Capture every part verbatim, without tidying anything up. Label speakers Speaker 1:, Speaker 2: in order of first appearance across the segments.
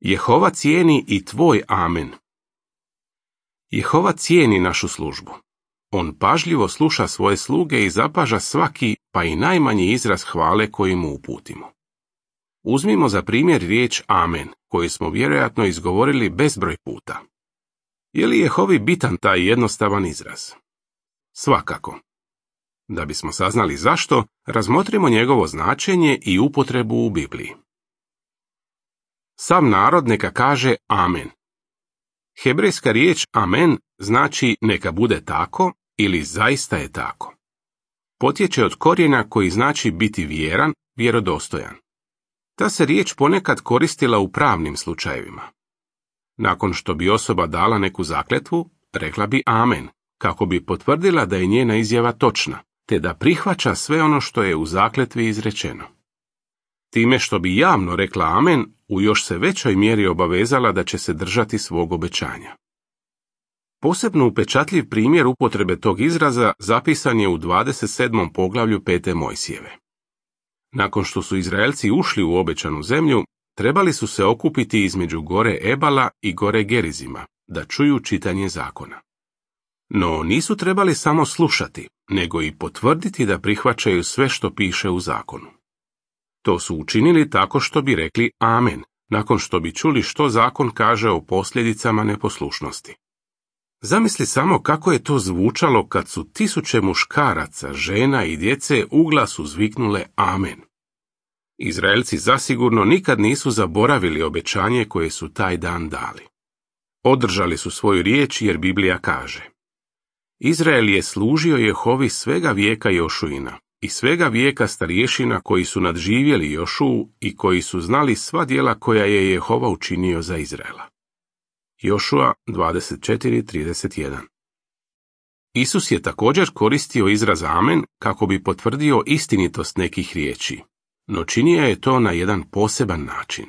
Speaker 1: Jehova cijeni i tvoj amen. Jehova cijeni našu službu. On pažljivo sluša svoje sluge i zapaža svaki, pa i najmanji izraz hvale koji mu uputimo. Uzmimo za primjer riječ amen, koju smo vjerojatno izgovorili bezbroj puta. Je li Jehovi bitan taj jednostavan izraz? Svakako. Da bismo saznali zašto, razmotrimo njegovo značenje i upotrebu u Bibliji. Sav narod neka kaže amen. Hebrejska riječ amen znači neka bude tako ili zaista je tako. Potječe od korijena koji znači biti vjeran, vjerodostojan. Ta se riječ ponekad koristila u pravnim slučajevima. Nakon što bi osoba dala neku zakletvu, rekla bi amen, kako bi potvrdila da je njena izjava točna, te da prihvaća sve ono što je u zakletvi izrečeno. Time što bi javno rekla amen, u još se većoj mjeri obavezala da će se držati svog obećanja. Posebno upečatljiv primjer upotrebe tog izraza zapisan je u dvadeset sedmom poglavlju pete Mojsijeve. Nakon što su Izraelci ušli u obećanu zemlju, trebali su se okupiti između gore Ebala i gore Gerizima, da čuju čitanje zakona. No nisu trebali samo slušati, nego i potvrditi da prihvaćaju sve što piše u zakonu. To su učinili tako što bi rekli amen, nakon što bi čuli što zakon kaže o posljedicama neposlušnosti. Zamisli samo kako je to zvučalo kad su tisuće muškaraca, žena i djece uglas uzviknule amen. Izraelci zasigurno nikad nisu zaboravili obećanje koje su taj dan dali. Održali su svoju riječ jer Biblija kaže: Izrael je služio Jehovi svega vijeka Jošuina i svega vijeka starješina koji su nadživjeli Jošuu i koji su znali sva djela koja je Jehova učinio za Izraela. Jošua dvadeset četiri trideset jedan. Isus je također koristio izraz amen kako bi potvrdio istinitost nekih riječi, no činio je to na jedan poseban način.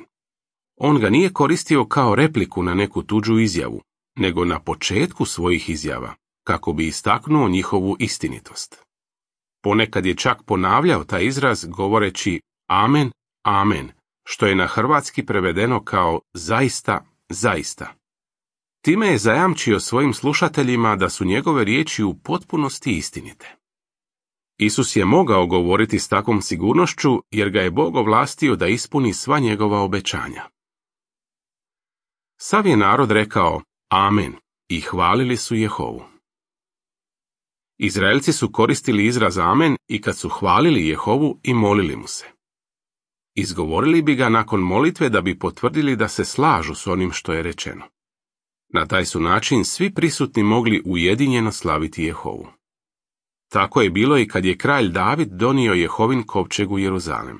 Speaker 1: On ga nije koristio kao repliku na neku tuđu izjavu, nego na početku svojih izjava, kako bi istaknuo njihovu istinitost. Ponekad je čak ponavljao taj izraz govoreći amen, amen, što je na hrvatski prevedeno kao zaista, zaista. Time je zajamčio svojim slušateljima da su njegove riječi u potpunosti istinite. Isus je mogao govoriti s takvom sigurnošću jer ga je Bog ovlastio da ispuni sva njegova obećanja. Sav je narod rekao amen i hvalili su Jehovu. Izraelci su koristili izraz amen i kad su hvalili Jehovu i molili mu se. Izgovorili bi ga nakon molitve da bi potvrdili da se slažu s onim što je rečeno. Na taj su način svi prisutni mogli ujedinjeno slaviti Jehovu. Tako je bilo i kad je kralj David donio Jehovin kovčeg u Jeruzalem.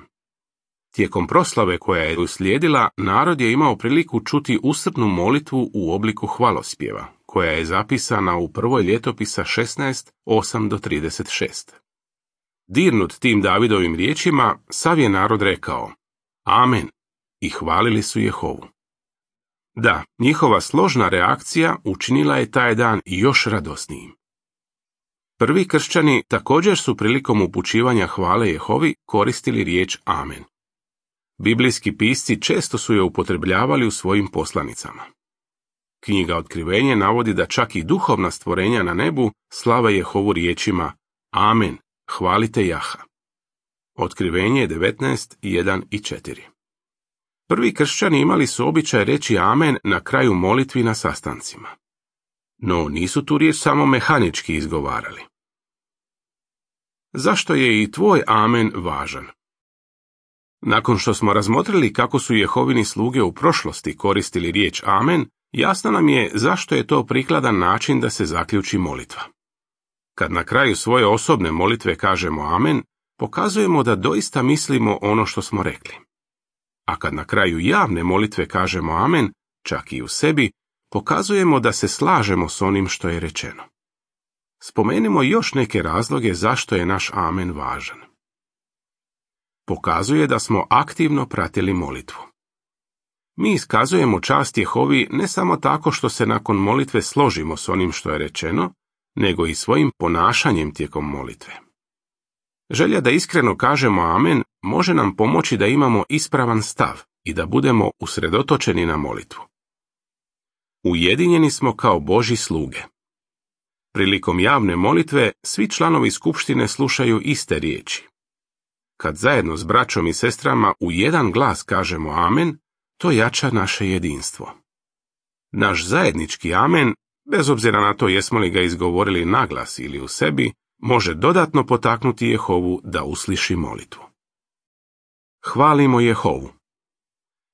Speaker 1: Tijekom proslave koja je uslijedila, narod je imao priliku čuti usrdnu molitvu u obliku hvalospjeva, koja je zapisana u prvoj ljetopisa šesnaest, osam do trideset šest. Dirnut tim Davidovim riječima, sav je narod rekao amen i hvalili su Jehovu. Da, njihova složna reakcija učinila je taj dan još radosnijim. Prvi kršćani također su prilikom upućivanja hvale Jehovi koristili riječ amen. Biblijski pisci često su je upotrebljavali u svojim poslanicama. Knjiga Otkrivenje navodi da čak i duhovna stvorenja na nebu slave Jehovu riječima amen, hvalite Jaha. Otkrivenje devetnaest, jedan i četiri. Prvi kršćani imali su običaj reći amen na kraju molitvi na sastancima. No nisu tu riječ samo mehanički izgovarali. Zašto je i tvoj amen važan? Nakon što smo razmotrili kako su Jehovini sluge u prošlosti koristili riječ amen, jasno nam je zašto je to prikladan način da se zaključi molitva. Kad na kraju svoje osobne molitve kažemo amen, pokazujemo da doista mislimo ono što smo rekli. A kad na kraju javne molitve kažemo amen, čak i u sebi, pokazujemo da se slažemo s onim što je rečeno. Spomenimo još neke razloge zašto je naš amen važan. Pokazuje da smo aktivno pratili molitvu. Mi iskazujemo čast Jehovi ne samo tako što se nakon molitve složimo s onim što je rečeno, nego i svojim ponašanjem tijekom molitve. Želja da iskreno kažemo amen može nam pomoći da imamo ispravan stav, i da budemo usredotočeni na molitvu. Ujedinjeni smo kao Božji sluge. Prilikom javne molitve svi članovi skupštine slušaju iste riječi. Kad zajedno s braćom i sestrama u jedan glas kažemo amen, to jača naše jedinstvo. Naš zajednički amen, bez obzira na to jesmo li ga izgovorili naglas ili u sebi, može dodatno potaknuti Jehovu da usliši molitvu. Hvalimo Jehovu.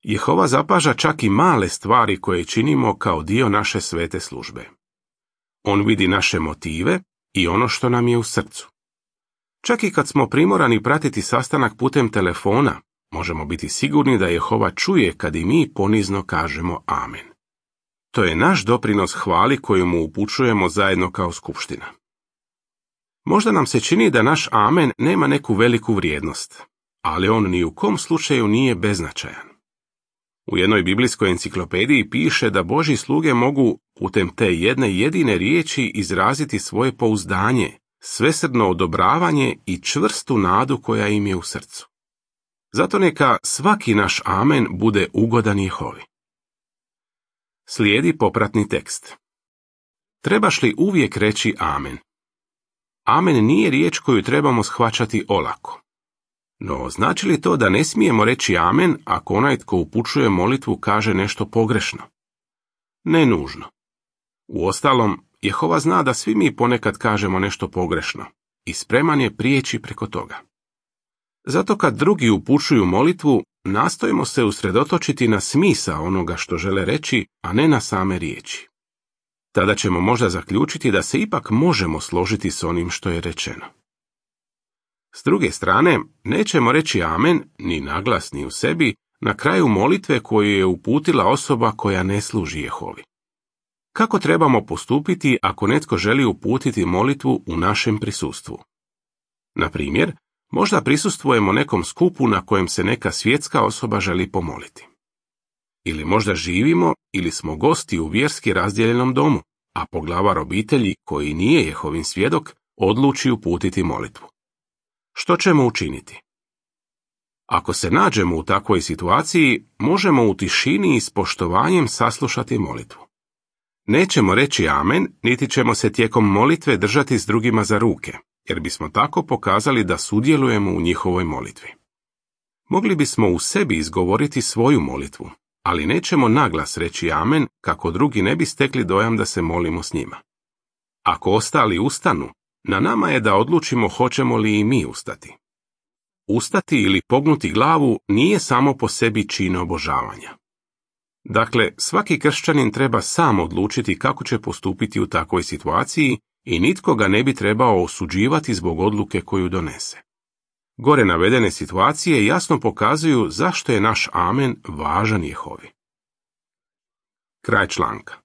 Speaker 1: Jehova zapaža čak i male stvari koje činimo kao dio naše svete službe. On vidi naše motive i ono što nam je u srcu. Čak i kad smo primorani pratiti sastanak putem telefona, možemo biti sigurni da Jehova čuje kad i mi ponizno kažemo amen. To je naš doprinos hvali koju mu upućujemo zajedno kao skupština. Možda nam se čini da naš amen nema neku veliku vrijednost, ali on ni u kom slučaju nije beznačajan. U jednoj biblijskoj enciklopediji piše da Božji sluge mogu putem te jedne jedine riječi izraziti svoje pouzdanje, svesrdno odobravanje i čvrstu nadu koja im je u srcu. Zato neka svaki naš amen bude ugodan Jehovi. Slijedi popratni tekst. Trebaš li uvijek reći amen? Amen nije riječ koju trebamo shvaćati olako. No, znači li to da ne smijemo reći amen ako onaj tko upućuje molitvu kaže nešto pogrešno? Ne nužno. Uostalom, Jehova zna da svi mi ponekad kažemo nešto pogrešno i spreman je prijeći preko toga. Zato kad drugi upućuju molitvu, nastojimo se usredotočiti na smisao onoga što žele reći, a ne na same riječi. Tada ćemo možda zaključiti da se ipak možemo složiti s onim što je rečeno. S druge strane, nećemo reći amen, ni naglas ni u sebi, na kraju molitve koju je uputila osoba koja ne služi Jehovi. Kako trebamo postupiti ako netko želi uputiti molitvu u našem prisustvu? Na primjer, možda prisustvujemo nekom skupu na kojem se neka svjetska osoba želi pomoliti. Ili možda živimo ili smo gosti u vjerski razdijeljenom domu, a poglavar obitelji, koji nije Jehovin svjedok, odluči uputiti molitvu. Što ćemo učiniti? Ako se nađemo u takvoj situaciji, možemo u tišini i s poštovanjem saslušati molitvu. Nećemo reći amen, niti ćemo se tijekom molitve držati s drugima za ruke, jer bismo tako pokazali da sudjelujemo u njihovoj molitvi. Mogli bismo u sebi izgovoriti svoju molitvu, ali nećemo naglas reći amen kako drugi ne bi stekli dojam da se molimo s njima. Ako ostali ustanu, na nama je da odlučimo hoćemo li i mi ustati. Ustati ili pognuti glavu nije samo po sebi čin obožavanja. Dakle, svaki kršćanin treba sam odlučiti kako će postupiti u takvoj situaciji i nitko ga ne bi trebao osuđivati zbog odluke koju donese. Gore navedene situacije jasno pokazuju zašto je naš amen važan Jehovi. Kraj članka.